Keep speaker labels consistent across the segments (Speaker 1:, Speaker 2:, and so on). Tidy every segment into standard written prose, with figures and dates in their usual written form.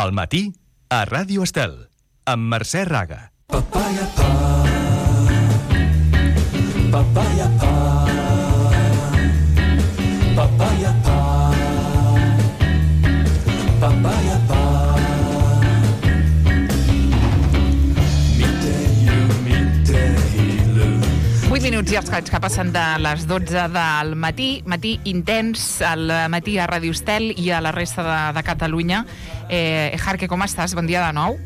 Speaker 1: Al matí, a Ràdio Estel, amb Mercè Raga.
Speaker 2: Papaya pa, papaya pa, papaya pa, papaya pa.
Speaker 3: 8 minuts i els que passen de les 12 del matí, matí intens, al matí a Ràdio Estel i a la resta de Catalunya. Jarque, com estàs? Bon dia de nou.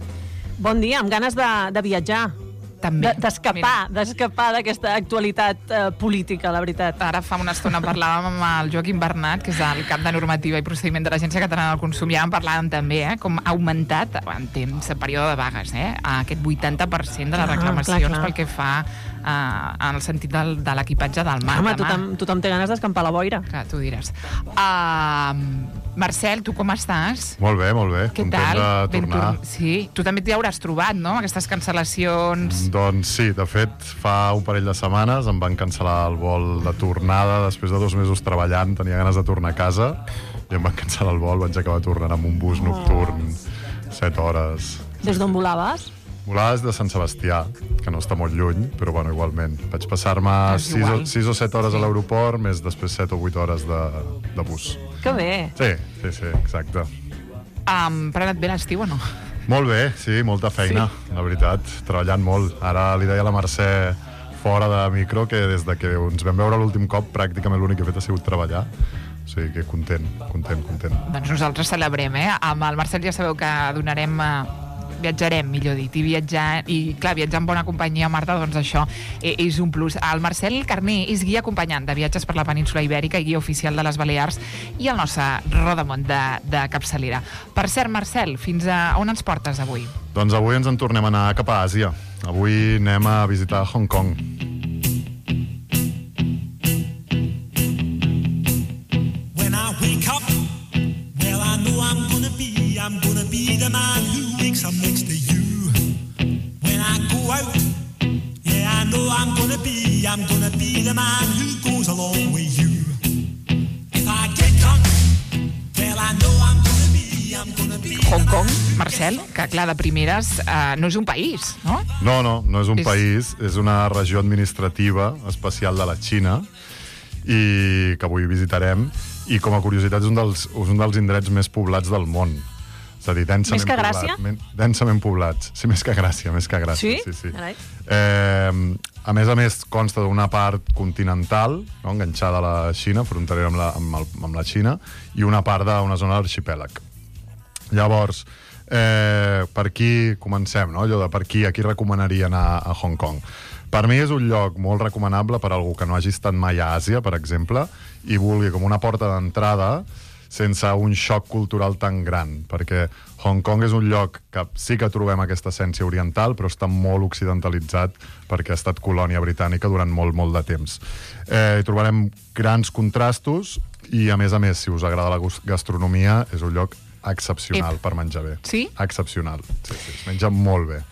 Speaker 4: Bon dia, amb ganes de viatjar.
Speaker 3: També.
Speaker 4: D'escapar d'aquesta actualitat política, la veritat.
Speaker 3: Ara fa una estona parlàvem amb el Joaquim Bernat, que és el cap de normativa i procediment de l'Agència Catalana del Consum, i ara en parlàvem també, com ha augmentat en temps, en període de vagues, aquest 80% de les reclamacions
Speaker 4: clar.
Speaker 3: pel que fa en el sentit de l'equipatge del mar.
Speaker 4: Home, tothom té ganes d'escampar la boira.
Speaker 3: Clar, tu diràs. Marcel, tu com estàs?
Speaker 5: Molt bé, molt bé.
Speaker 3: Què
Speaker 5: Content
Speaker 3: tal?
Speaker 5: de tornar.
Speaker 3: Sí, tu també t'hi hauràs trobat, no?, aquestes cancel·lacions.
Speaker 5: Doncs sí, de fet, fa un parell de setmanes em van cancel·lar el vol de tornada després de 2 mesos treballant, tenia ganes de tornar a casa i em van cancel·lar el vol, vaig acabar tornant amb un bus nocturn 7 hores.
Speaker 4: Des d'on volaves?
Speaker 5: Volava des de Sant Sebastià, que no està molt lluny, però bueno, igualment. Vaig passar-me 6 o 7 hores a l'aeroport, més després 7 o 8 hores de bus.
Speaker 4: Que bé.
Speaker 5: Sí, exacte.
Speaker 3: Però ha anat bé l'estiu o no?
Speaker 5: Molt bé, sí, molta feina, la veritat, treballant molt. Ara li deia a la Mercè fora de micro que des de que ens vam veure l'últim cop pràcticament l'únic que he fet ha sigut treballar. O sigui que content.
Speaker 3: Doncs nosaltres celebrem, Amb el Marcel ja sabeu que viatjarem, millor dit, i clar, viatjar en bona companyia, Marta, doncs això és un plus. El Marcel Carné és guia acompanyant de viatges per la península Ibèrica i guia oficial de les Balears i el nostre rodamont de capçalera. Per cert, Marcel, fins a on ens portes avui?
Speaker 5: Doncs avui ens en tornem a anar cap a Àsia. Avui anem a visitar Hong Kong.
Speaker 2: When I wake up, well, I know I'm gonna be the man who wakes up next to you. When I go out, yeah, I know I'm gonna be the man who goes along with you. If I get drunk, well, I know I'm gonna be
Speaker 3: Hong Kong, Marcel, que clar, de primeres no és un país, no?
Speaker 5: No és un país, és una regió administrativa especial de la Xina i que avui visitarem, i com a curiositat és un dels indrets més poblats del món. És a dir, densament
Speaker 4: Més que Gràcia?
Speaker 5: Densament poblats. Sí, més que Gràcia.
Speaker 4: Sí?
Speaker 5: Sí.
Speaker 4: Carai.
Speaker 5: A més, consta d'una part continental, no, enganxada a la Xina, fronterera amb la Xina, i una part d'una zona d'arxipèlag. Llavors, per aquí comencem, no? Allò de per aquí, a qui recomanaria anar a Hong Kong? Per mi és un lloc molt recomanable per a algú que no hagi estat mai a Àsia, per exemple, i vulgui com una porta d'entrada sense un xoc cultural tan gran, perquè Hong Kong és un lloc que sí que trobem aquesta essència oriental, però està molt occidentalitzat perquè ha estat colònia britànica durant molt de temps. Hi trobarem grans contrastos i, a més, si us agrada la gastronomia, és un lloc excepcional per menjar bé.
Speaker 3: Sí?
Speaker 5: Excepcional. Sí, es menja molt bé.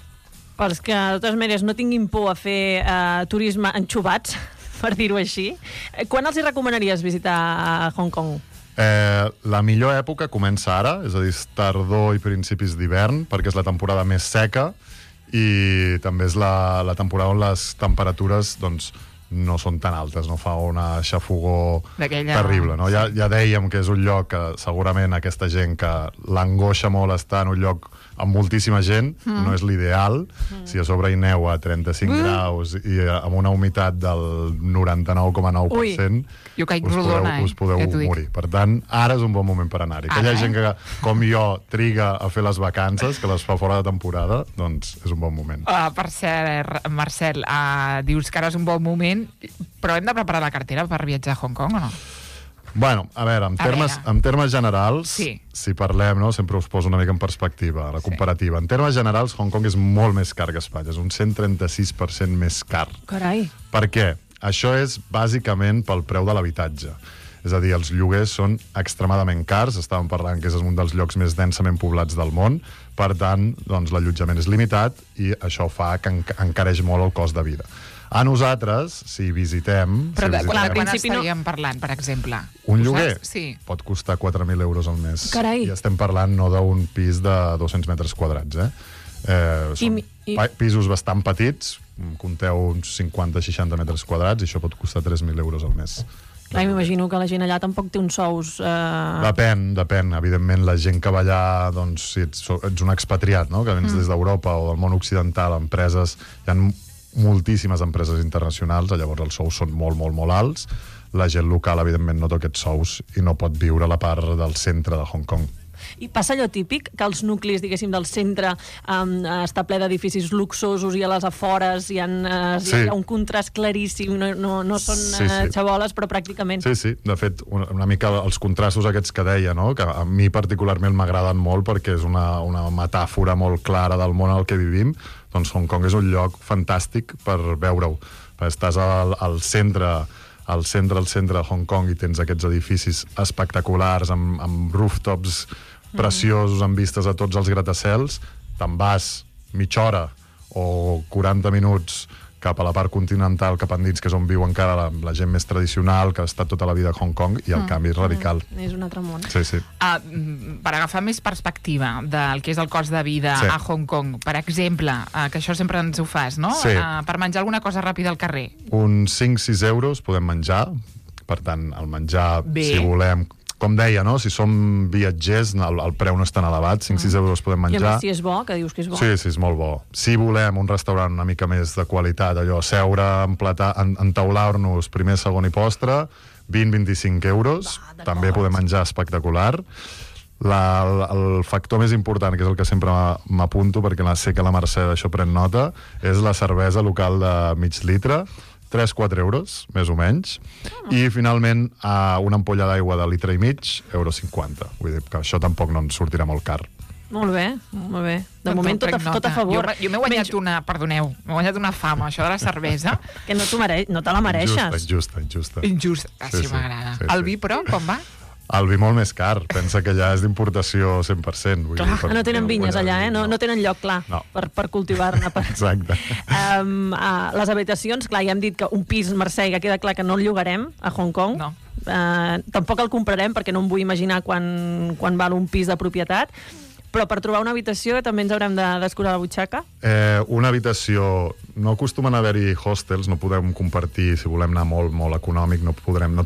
Speaker 4: Pels que, de totes maneres, no tinguin por a fer turisme enxubats, per dir-ho així, quan els hi recomanaries visitar Hong Kong?
Speaker 5: La millor època comença ara, és a dir, tardor i principis d'hivern, perquè és la temporada més seca i també és la temporada on les temperatures no són tan altes, no fa una xafogor terrible, no? Ja dèiem que és un lloc que segurament aquesta gent que l'angoixa molt estar en un lloc amb moltíssima gent, no és l'ideal. Si a sobre hi neu a 35 graus i amb una humitat del 99,9%, us podeu morir. Per tant, ara és un bon moment per anar-hi. Aquella gent que, com jo, triga a fer les vacances, que les fa fora de temporada, doncs és un bon moment.
Speaker 3: Per cert, Marcel, dius que ara és un bon moment, però hem de preparar la cartera per viatjar a Hong Kong o no?
Speaker 5: Bueno, a veure, en termes generals,
Speaker 3: sí.
Speaker 5: Si parlem, no, sempre us poso una mica en perspectiva, la comparativa. En termes generals, Hong Kong és molt més car que Espanya, és un 136% més car.
Speaker 4: Carai.
Speaker 5: Per què? Això és bàsicament pel preu de l'habitatge. És a dir, els lloguers són extremadament cars, estàvem parlant que és un dels llocs més densament poblats del món, per tant, doncs, l'allotjament és limitat i això fa que encareix molt el cost de vida. A nosaltres, si visitem...
Speaker 3: Però
Speaker 5: si
Speaker 3: quan
Speaker 5: visitem
Speaker 3: estaríem parlant, per exemple?
Speaker 5: un lloguer
Speaker 3: Sí.
Speaker 5: pot costar 4.000 euros al mes.
Speaker 4: Carai.
Speaker 5: I estem parlant no d'un pis de 200 metres quadrats, són pisos bastant petits, compteu uns 50-60 metres quadrats, i això pot costar 3.000 euros al mes.
Speaker 4: Clar, m'imagino que la gent allà tampoc té uns sous...
Speaker 5: Depèn. Evidentment, la gent que va allà, doncs, si ets un expatriat, no?, que vens des d'Europa o del món occidental, empreses... Hi ha moltíssimes empreses internacionals, llavors els sous són molt, molt, molt alts. La gent local, evidentment, no té aquests sous i no pot viure a la part del centre de Hong Kong.
Speaker 4: I passa allò típic, que els nuclis, diguéssim, del centre està ple d'edificis luxosos i a les afores hi ha un contrast claríssim, no són xaboles, però pràcticament.
Speaker 5: Sí. De fet, una mica els contrastos aquests que deia, no?, que a mi particularment m'agraden molt perquè és una metàfora molt clara del món al que vivim. Doncs Hong Kong és un lloc fantàstic per veure-ho. Estàs al centre de Hong Kong i tens aquests edificis espectaculars amb rooftops preciosos, amb vistes a tots els gratacels. Te'n vas mitja hora o 40 minuts cap a la part continental, cap endins, que és on viu encara la gent més tradicional, que ha estat tota la vida a Hong Kong, i el canvi és radical.
Speaker 4: És un altre món.
Speaker 5: Sí.
Speaker 3: Per agafar més perspectiva del que és el cost de vida a Hong Kong, per exemple, que això sempre ens ho fas, no?
Speaker 5: Sí.
Speaker 3: Per menjar alguna cosa ràpida al carrer.
Speaker 5: Uns 5-6 euros podem menjar, per tant, el menjar, si volem... Com deia, no?, si som viatgers, el preu no és tan elevat, 5-6 euros podem menjar.
Speaker 4: I a més, si és bo, que dius que és bo.
Speaker 5: Sí, és molt bo. Si volem un restaurant una mica més de qualitat, allò, seure, entaular-nos primer, segon i postre, 20-25 euros, també podem menjar espectacular. El factor més important, que és el que sempre m'apunto, perquè sé que la Mercè d'això pren nota, és la cervesa local de mig litre, 3-4 euros, més o menys, i finalment una ampolla d'aigua de litre i mig, €1,50. Vull dir que això tampoc no ens sortirà molt car.
Speaker 4: Molt bé. De moment tot a favor.
Speaker 3: Jo m'he guanyat m'he guanyat una fama, això de la cervesa.
Speaker 4: Que no te la mereixes.
Speaker 5: Injusta.
Speaker 3: Injusta, sí, m'agrada. El vi, però, com va?
Speaker 5: El vi molt més car, pensa que allà és d'importació 100%.
Speaker 4: Clar, no tenen vinyes allà, no tenen lloc, clar, per cultivar-ne.
Speaker 5: Exacte.
Speaker 4: Les habitacions, clar, ja hem dit que un pis, Mercè, que queda clar que no el llogarem a Hong Kong.
Speaker 3: No.
Speaker 4: Tampoc el comprarem, perquè no em vull imaginar quan val un pis de propietat. Però per trobar una habitació també ens haurem de descurar la butxaca?
Speaker 5: Una habitació... No acostumen a haver-hi hostels, no podem compartir, si volem anar molt, molt econòmic, no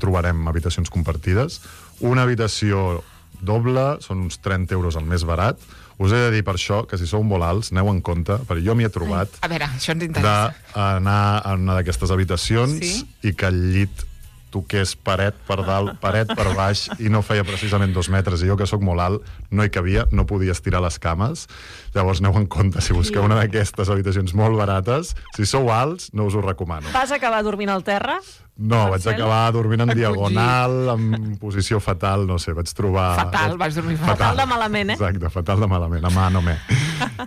Speaker 5: trobarem habitacions compartides. Una habitació doble són uns 30 euros el més barat. Us he de dir per això que si sou molt alts, aneu en compte, perquè jo m'hi he trobat
Speaker 3: a veure, això ens interessa.
Speaker 5: d'anar a una d'aquestes habitacions i que el llit toqués paret per dalt, paret per baix, i no feia precisament 2 metres. I jo, que sóc molt alt, no hi cabia, no podia estirar les cames. Llavors, aneu en compte, si busqueu una d'aquestes habitacions molt barates, si sou alts, no us ho recomano.
Speaker 4: Vas acabar dormint al terra?
Speaker 5: No, vaig acabar dormint en diagonal, en posició fatal, no sé, vaig trobar...
Speaker 3: Fatal, vas dormir fatal.
Speaker 4: Fatal de malament,
Speaker 5: Exacte, fatal de malament, a mà no me.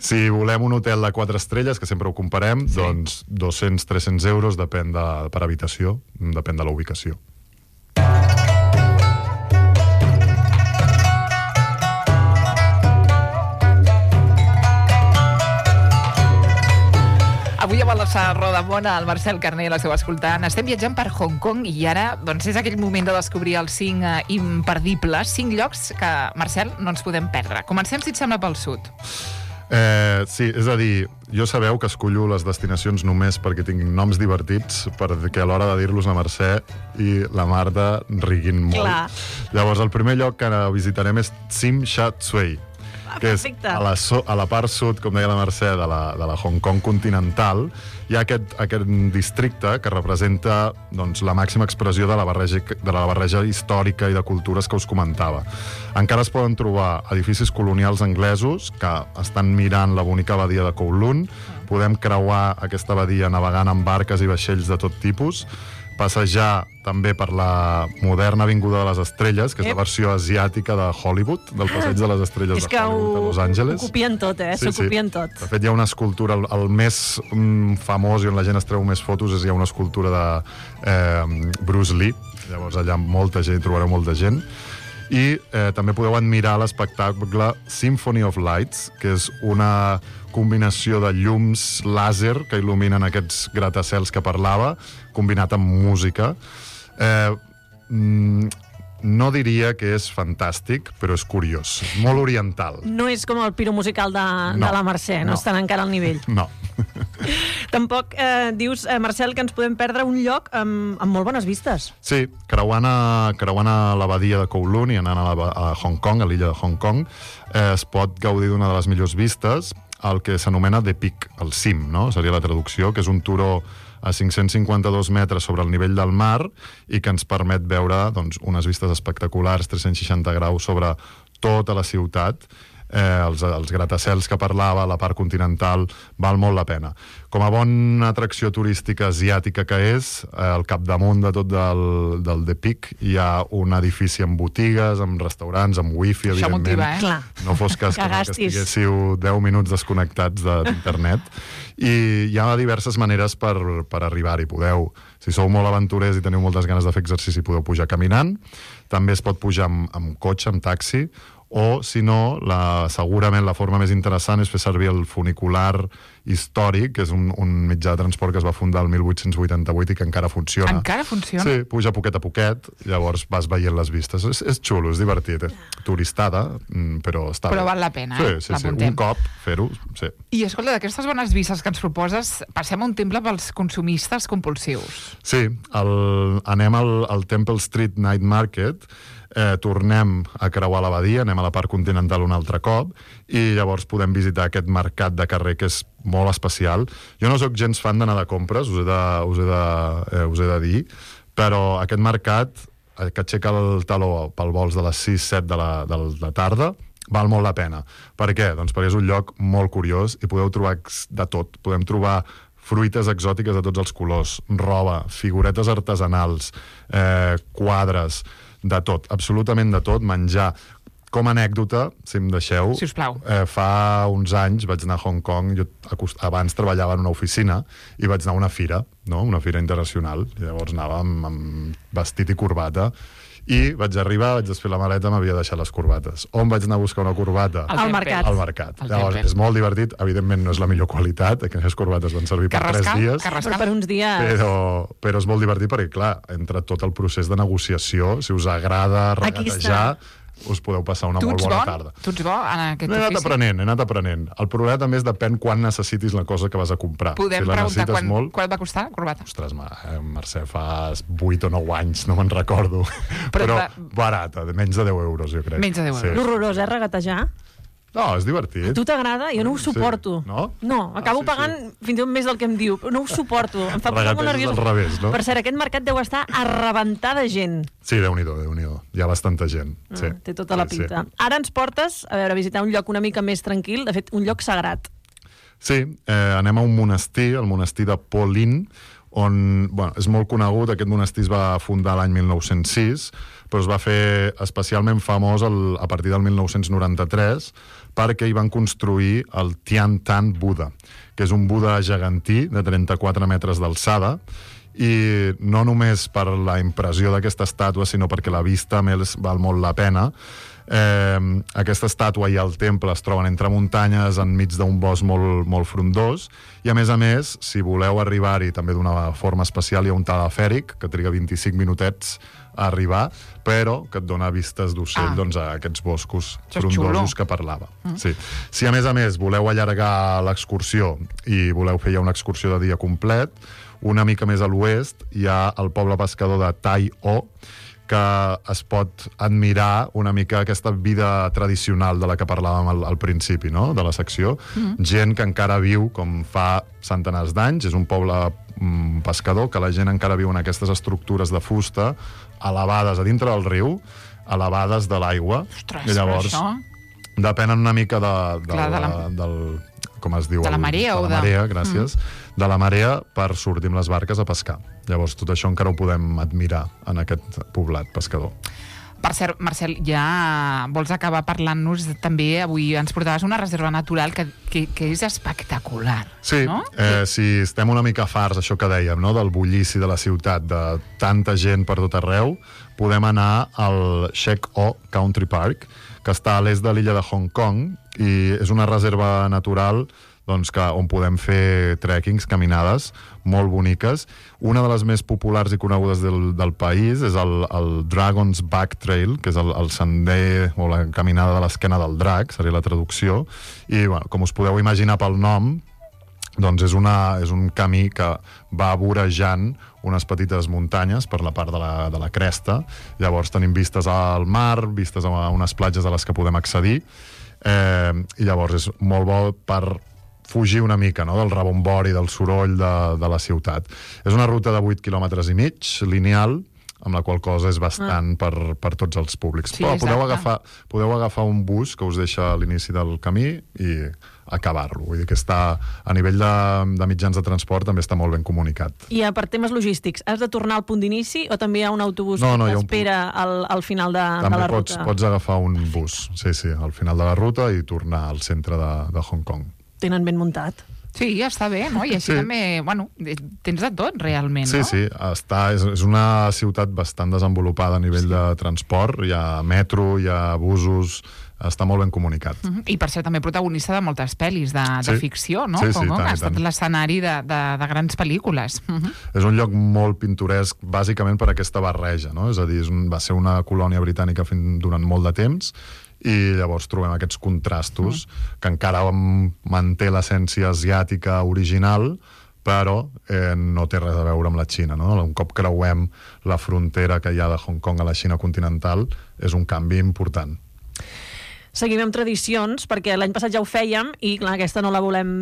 Speaker 5: Si volem un hotel de 4 estrelles, que sempre ho comparem, doncs 200-300 euros, depèn per habitació, depèn de la ubicació.
Speaker 3: Avui a la Rodamona, el Marcel Carner l'esteu escoltant. Estem viatjant per Hong Kong i ara doncs, és aquell moment de descobrir els 5 imperdibles, 5 llocs que, Marcel, no ens podem perdre. Comencem, si et sembla, pel sud.
Speaker 5: Sí, és a dir, jo sabeu que escollo les destinacions només perquè tinguin noms divertits, perquè a l'hora de dir-los la Mercè i la Marta riguin molt.
Speaker 4: Clar.
Speaker 5: Llavors, el primer lloc que visitarem és Tsim Sha Tsui, que és
Speaker 4: perfecte.
Speaker 5: a la part sud, com deia la Mercè, de la Hong Kong continental. Hi ha aquest districte que representa doncs, la màxima expressió de la barreja històrica i de cultures que us comentava. Encara es poden trobar edificis colonials anglesos que estan mirant la bonica badia de Kowloon. Podem creuar aquesta badia navegant amb barques i vaixells de tot tipus, passejar també per la moderna Avinguda de les Estrelles, que és la versió asiàtica de Hollywood, del Passeig de les Estrelles de Hollywood a Los Angeles.
Speaker 4: Ho copien tot, s'ho copien tot.
Speaker 5: De fet, hi ha una escultura, el més famós i on la gent es treu més fotos, hi ha una escultura de Bruce Lee. Llavors allà molta gent, trobareu molta gent. I també podeu admirar l'espectacle Symphony of Lights, que és una combinació de llums làser que il·luminen aquests gratacels que parlava, combinat amb música. No diria que és fantàstic, però és curiós. Molt oriental.
Speaker 4: No és com el piro musical de la Mercè, no estan encara al nivell.
Speaker 5: No.
Speaker 4: Tampoc dius, Marcel, que ens podem perdre un lloc amb molt bones vistes.
Speaker 5: Sí, creuant a la badia de Kowloon i anant a Hong Kong, a l'illa de Hong Kong, es pot gaudir d'una de les millors vistes, el que s'anomena The Peak, el cim, no? Seria la traducció, que és un turó a 552 metres sobre el nivell del mar i que ens permet veure unes vistes espectaculars, 360 graus sobre tota la ciutat. Els gratacels que parlava, la part continental, val molt la pena. Com a bona atracció turística asiàtica que és, al capdamunt de tot del The Peak hi ha un edifici amb botigues, amb restaurants, amb wifi,
Speaker 3: això
Speaker 5: evidentment.
Speaker 3: Motiva,
Speaker 5: No fos cas que estiguéssiu 10 minuts desconnectats d'internet. I hi ha diverses maneres per arribar-hi. Podeu, si sou molt aventurers i teniu moltes ganes de fer exercici, podeu pujar caminant. També es pot pujar amb cotxe, amb taxi, o, si no, segurament la forma més interessant és fer servir el funicular històric, que és un mitjà de transport que es va fundar el 1888 i que encara funciona.
Speaker 3: Encara funciona?
Speaker 5: Sí, puja poquet a poquet, llavors vas veient les vistes. És xulo, és divertit. Turistada, però està bé.
Speaker 3: Però val la pena,
Speaker 5: Sí. Un cop fer-ho, sí.
Speaker 3: I escolta, d'aquestes bones vistes que ens proposes, passem a un temple pels consumistes compulsius.
Speaker 5: Sí, anem al Temple Street Night Market, tornem a creuar la badia, anem a la part continental un altre cop i llavors podem visitar aquest mercat de carrer que és molt especial. Jo no sóc gens fan d'anar de compres, us he de dir, però aquest mercat que aixeca el taló pel vols de les 6-7 de la tarda val molt la pena. Per què? Doncs perquè és un lloc molt curiós i podeu trobar de tot. Podem trobar fruites exòtiques de tots els colors, roba, figuretes artesanals, quadres, de tot, absolutament de tot, menjar. Com a anècdota, si em deixeu,
Speaker 3: sisplau.
Speaker 5: Fa uns anys vaig anar a Hong Kong, jo abans treballava en una oficina i vaig anar a una fira, no? Una fira internacional, i llavors anava amb vestit i corbata, i vaig arribar, vaig desfer la maleta, m'havia deixat les corbates. On vaig anar a buscar una corbata?
Speaker 4: Al mercat.
Speaker 5: Al mercat. Llavors, és molt divertit, evidentment no és la millor qualitat, aquelles corbates van servir per 3 dies.
Speaker 3: Carrascar.
Speaker 4: Per uns dies.
Speaker 5: Però és molt divertit perquè, clar, entre tot el procés de negociació, si us agrada regatejar, us podeu passar una molt bona tarda.
Speaker 3: Tu ets bo en aquest
Speaker 5: ofici? He anat aprenent. El problema també és depèn quan necessitis la cosa que vas a comprar.
Speaker 3: Podem preguntar quan va costar la corbata?
Speaker 5: Ostres, Mercè, fa 8 o 9 anys, no me'n recordo. Però barata, de menys de 10 euros, jo crec.
Speaker 3: Menys de 10 euros.
Speaker 4: Sí. L'horrorós, regatejar?
Speaker 5: No, és divertit.
Speaker 4: A tu t'agrada? Jo no ho suporto.
Speaker 5: Sí. No?
Speaker 4: No, acabo pagant fins i tot més del que em diu. No ho suporto. Em fa posar molt nerviós.
Speaker 5: Al revés, no?
Speaker 4: Per cert, aquest mercat deu estar a rebentar de gent.
Speaker 5: Sí, Déu-n'hi-do. Hi ha bastanta gent. Sí.
Speaker 4: Té tota la pinta. Sí. Ara ens portes a visitar un lloc una mica més tranquil, de fet, un lloc sagrat.
Speaker 5: Sí, anem a un monestir, el monestir de Po Lin, on és molt conegut. Aquest monestir es va fundar l'any 1906, però es va fer especialment famós a partir del 1993 perquè hi van construir el Tian Tan Buda, que és un Buda gegantí de 34 metres d'alçada, i no només per la impressió d'aquesta estàtua, sinó perquè la vista a més val molt la pena. Aquesta estàtua i el temple es troben entre muntanyes enmig d'un bosc molt frondós, i a més, si voleu arribar-hi també d'una forma especial, hi ha un telefèric que triga 25 minutets a arribar, però que et dona vistes d'ocell a aquests boscos frondosos que parlava. Sí. Si a més voleu allargar l'excursió i voleu fer ja una excursió de dia complet, una mica més a l'oest hi ha el poble pescador de Tai O, que es pot admirar una mica aquesta vida tradicional de la que parlàvem al principi, no?, de la secció. Gent que encara viu com fa centenars d'anys, és un poble pescador, que la gent encara viu en aquestes estructures de fusta elevades a dintre del riu, elevades de l'aigua.
Speaker 3: Ostres,
Speaker 5: i llavors depenen una mica del com es diu?
Speaker 3: De la marea
Speaker 5: de la marea, gràcies. De la marea per sortir amb les barques a pescar. Llavors tot això encara ho podem admirar en aquest poblat pescador.
Speaker 3: Per cert, Marcel, ja vols acabar parlant-nos també, avui ens portaves una reserva natural que és espectacular.
Speaker 5: Sí,
Speaker 3: no?
Speaker 5: Si estem una mica farts, això que dèiem, no? Del bullici de la ciutat, de tanta gent per tot arreu, podem anar al Shek O Country Park, que està a l'est de l'illa de Hong Kong, i és una reserva natural doncs, on podem fer trekkings, caminades molt boniques. Una de les més populars i conegudes del país és el Dragon's Back Trail, que és el sender o la caminada de l'esquena del drac, seria la traducció, i bueno, com us podeu imaginar pel nom, doncs és un camí que va vorejant unes petites muntanyes per la part de la cresta. Llavors tenim vistes al mar, vistes a unes platges a les que podem accedir, i llavors és molt bo per fugir una mica, no?, del rebombori, del soroll de la ciutat. És una ruta de 8 quilòmetres i mig, lineal, amb la qual cosa és bastant per tots els públics.
Speaker 3: Sí,
Speaker 5: però podeu agafar un bus que us deixa a l'inici del camí i acabar-lo. Vull dir que està, a nivell de mitjans de transport, també està molt ben comunicat.
Speaker 4: I per temes logístics, has de tornar al punt d'inici o també hi ha un autobús que t'espera al final de la ruta?
Speaker 5: També pots agafar un bus, sí, al final de la ruta i tornar al centre de Hong Kong.
Speaker 4: Tenen ben muntat.
Speaker 3: Sí, està bé, no? I així també, bueno, tens de tot, realment, no?
Speaker 5: Sí, és una ciutat bastant desenvolupada a nivell de transport, hi ha metro, hi ha busos, està molt ben comunicat.
Speaker 3: I per ser també protagonista de moltes pel·lis de ficció, no?
Speaker 5: Sí,
Speaker 3: que ha estat l'escenari de grans pel·lícules.
Speaker 5: És un lloc molt pintoresc, bàsicament per aquesta barreja, no? És a dir, va ser una colònia britànica durant molt de temps, i llavors trobem aquests contrastos que encara manté l'essència asiàtica original, però no té res a veure amb la Xina, no? Un cop creuem la frontera que hi ha de Hong Kong a la Xina continental, és un canvi important.
Speaker 4: Seguim amb tradicions, perquè l'any passat ja ho fèiem i clar, aquesta no la volem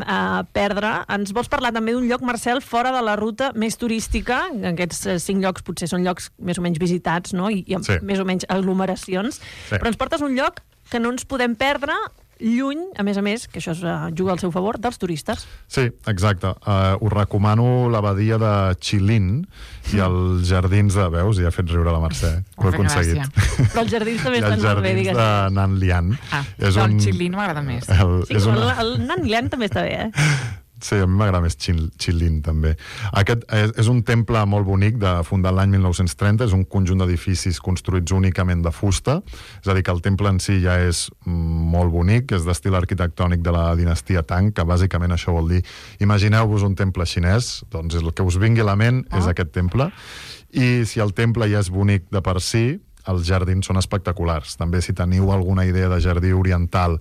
Speaker 4: perdre. Ens vols parlar també d'un lloc, Marcel, fora de la ruta més turística? Aquests 5 llocs potser són llocs més o menys visitats, no? I amb més o menys aglomeracions. Sí. Però ens portes un lloc que no ens podem perdre, lluny, a més, que això es juga al seu favor, dels turistes.
Speaker 5: Sí, exacte. Us recomano l'abadia de Qilin i els jardins de... Veus? Ja he fet riure la Mercè. Ho he aconseguit.
Speaker 4: Però els jardins també estan molt bé, digues.
Speaker 5: I els jardins de Nanlian.
Speaker 3: El Qilin m'agrada més.
Speaker 4: El Nanlian també està bé,
Speaker 5: Sí, a mi m'agrada més Qilin, també. Aquest és un temple molt bonic, fundat l'any 1930, és un conjunt d'edificis construïts únicament de fusta, és a dir, que el temple en si ja és molt bonic, és d'estil arquitectònic de la dinastia Tang, que bàsicament això vol dir, imagineu-vos un temple xinès, doncs el que us vingui a la ment és aquest temple, i si el temple ja és bonic de per si, els jardins són espectaculars. També si teniu alguna idea de jardí oriental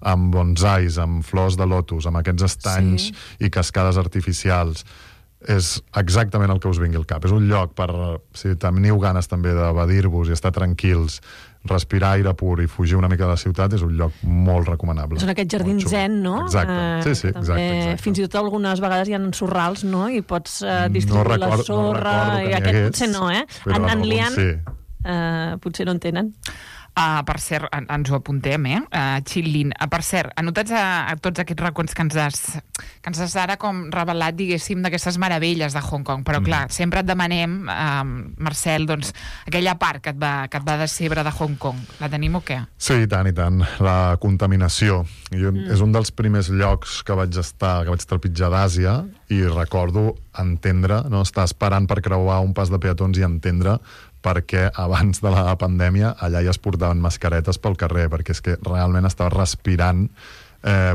Speaker 5: amb bonsais, amb flors de lotus, amb aquests estanys i cascades artificials, és exactament el que us vingui al cap. És un lloc per, si teniu ganes també d'evadir-vos i estar tranquils, respirar aire pur i fugir una mica de la ciutat, és un lloc molt recomanable.
Speaker 4: Són aquests jardins zen, no?
Speaker 5: Exacte, sí, exacte.
Speaker 4: Fins i tot algunes vegades hi ha sorrals, no? I pots distribuir la sorra, i aquest potser no,
Speaker 5: En
Speaker 4: Nanlian potser no en tenen.
Speaker 3: Per cert, ens ho apuntem, Qilin. Per cert, anotats a tots aquests racons que ens has ara com revelat, diguéssim, d'aquestes meravelles de Hong Kong, però clar, sempre et demanem, Marcel, doncs, aquella part que et va decebre de Hong Kong. La tenim o què?
Speaker 5: Sí, i tant. La contaminació. És un dels primers llocs que vaig trepitjar d'Àsia i recordo entendre, no? Estar esperant per creuar un pas de peatons i entendre perquè abans de la pandèmia allà ja es portaven mascaretes pel carrer, perquè és que realment estava respirant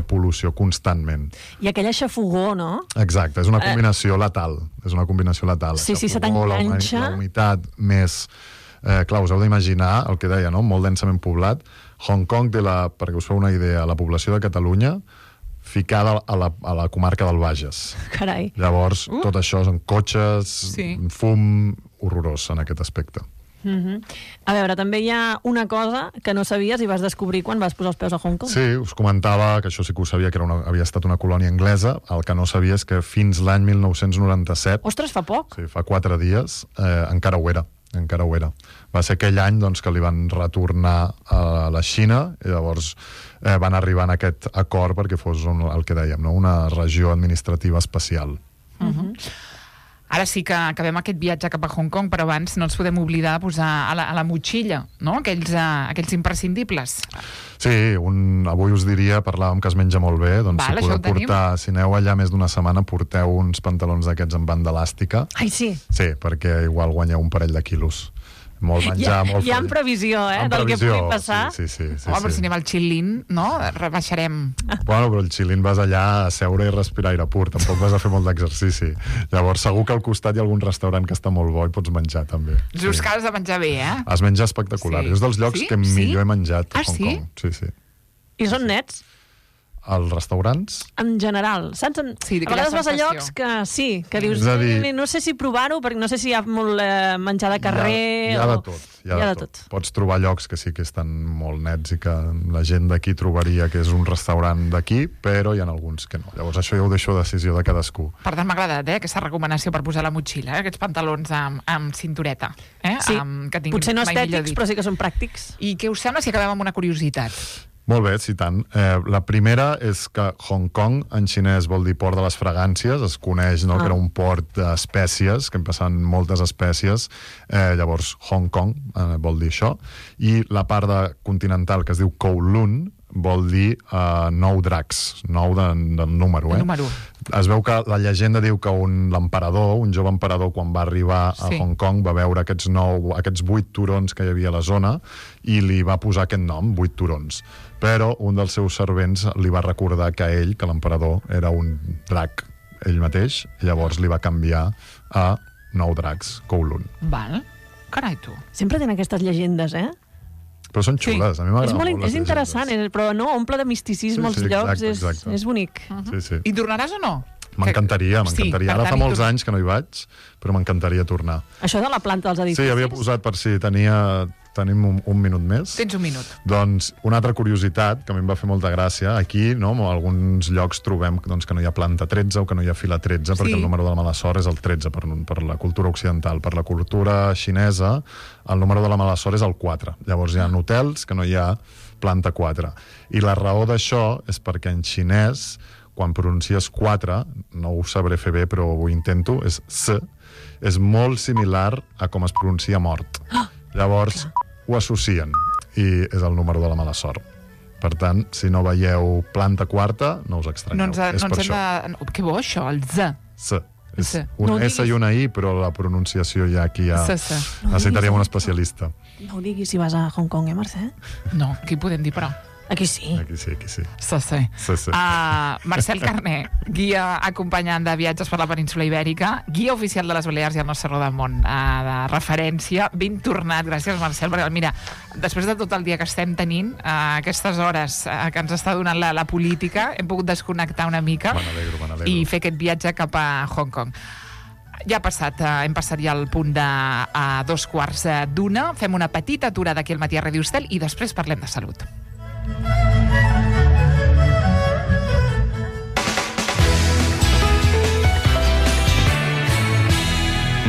Speaker 5: pol·lució constantment.
Speaker 4: I aquella xafogó, no?
Speaker 5: Exacte, és una combinació letal. És una combinació letal.
Speaker 4: Sí, se t'enganxa.
Speaker 5: La humitat més... clar, us heu d'imaginar el que deia, no? Molt densament poblat. Hong Kong té, perquè us feu una idea, la població de Catalunya ficada a la comarca del Bages.
Speaker 4: Carai.
Speaker 5: Llavors, tot això són cotxes, fum horrorós en aquest aspecte.
Speaker 4: A veure, també hi ha una cosa que no sabies i vas descobrir quan vas posar els peus a Hong Kong.
Speaker 5: Sí, us comentava que això sí que ho sabia, que havia estat una colònia anglesa. El que no sabia és que fins l'any 1997...
Speaker 4: Ostres, fa poc!
Speaker 5: Sí, fa 4 dies, encara ho era. Va ser aquell any doncs, que li van retornar a la Xina i llavors van arribar en aquest acord perquè fos el que dèiem, no? Una regió administrativa especial.
Speaker 3: Ara sí que acabem aquest viatge cap a Hong Kong, però abans no ens podem oblidar de posar a la motxilla, no? Aquells imprescindibles.
Speaker 5: Sí, avui us diria, parlàvem que es menja molt bé, doncs
Speaker 3: Val,
Speaker 5: si podeu portar, si aneu allà més d'una setmana, porteu uns pantalons d'aquests amb banda elàstica.
Speaker 4: Ai, sí.
Speaker 5: Sí, perquè igual guanyeu un parell de quilos. Molt menjar, molt...
Speaker 4: Hi ha previsió, del que pugui passar.
Speaker 5: Sí.
Speaker 3: Home, però si anem al Xilin, no? Rebaixarem.
Speaker 5: Bueno, però el Xilin vas allà a seure i respirar aire pur, tampoc vas a fer molt d'exercici. Llavors, segur que al costat hi ha algun restaurant que està molt bo i pots menjar, també.
Speaker 3: Just que has de menjar bé,
Speaker 5: Es menja espectacular. És dels llocs que millor he menjat a Hong Kong. Sí.
Speaker 4: I són nets?
Speaker 5: als restaurants?
Speaker 4: En general, saps?
Speaker 3: Sí,
Speaker 4: a vegades vas a llocs que sí, que dius, no sé si provar-ho, perquè no sé si hi ha molt menjar de carrer...
Speaker 5: Hi ha de tot. Hi ha de tot. Pots trobar llocs que sí que estan molt nets i que la gent d'aquí trobaria que és un restaurant d'aquí, però hi ha alguns que no. Llavors això ja ho deixo a decisió de cadascú.
Speaker 3: Per tant, m'ha agradat aquesta recomanació per posar la motxilla, aquests pantalons amb cintureta.
Speaker 4: Sí, que potser no estètics, però sí que són pràctics.
Speaker 3: I què us sembla si acabem amb una curiositat?
Speaker 5: Molt bé, sí, tant. La primera és que Hong Kong, en xinès, vol dir port de les fragàncies. Es coneix que era un port d'espècies, que en passen moltes espècies. Llavors, Hong Kong vol dir això. I la part continental, que es diu Kowloon, vol dir 9 dracs, 9 de número.
Speaker 3: Número.
Speaker 5: Es veu que la llegenda diu que l'emperador, un jove emperador, quan va arribar a Hong Kong, va veure aquests 8 turons que hi havia a la zona i li va posar aquest nom, 8 turons. Però un dels seus servents li va recordar que ell, que l'emperador, era un drac ell mateix, i llavors li va canviar a 9 dracs, Kowloon.
Speaker 3: Val. Carai, tu.
Speaker 4: Sempre tenen aquestes llegendes,
Speaker 5: Però són xules, a mi m'agrada molt.
Speaker 4: És interessant, però no, omple de misticisme els llocs, és bonic.
Speaker 3: I tornaràs o no?
Speaker 5: M'encantaria. Ara fa molts anys que no hi vaig, però m'encantaria tornar.
Speaker 4: Això de la planta dels edificis?
Speaker 5: Sí, havia posat per si tenim un minut més.
Speaker 3: Tens un minut.
Speaker 5: Doncs una altra curiositat, que a mi em va fer molta gràcia, aquí, en alguns llocs trobem que no hi ha planta 13 o que no hi ha fila 13, perquè el número de la mala sort és el 13 per la cultura occidental. Per la cultura xinesa, el número de la mala sort és el 4. Llavors hi ha hotels que no hi ha planta 4. I la raó d'això és perquè en xinès, quan pronuncies 4, no ho sabré fer bé, però ho intento, és S, és molt similar a com es pronuncia mort. Llavors ho associen i és el número de la mala sort. Per tant, si no veieu planta quarta, no us estranyeu. És per això.
Speaker 3: Que bo, això, el Z.
Speaker 5: S. És un S i una I, però la pronunciació ja aquí necessitaríem un especialista.
Speaker 4: No ho diguis si vas a Hong Kong, Mercè?
Speaker 3: No, aquí podem dir, però.
Speaker 4: Aquí sí.
Speaker 5: Aquí sí.
Speaker 3: Sí. Marcel Carné, guia acompanyant de viatges per la península Ibèrica, guia oficial de les Balears i el nostre Rodó del Món de referència. Ben tornat, gràcies, Marcel, perquè mira, després de tot el dia que estem tenint, aquestes hores que ens està donant la política, hem pogut desconnectar una mica i fer aquest viatge cap a Hong Kong. Ja hem passat ja al punt de 2:15. Fem una petita aturada aquí al Matí a Radio Estel i després parlem de salut.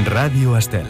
Speaker 1: Ràdio Estel.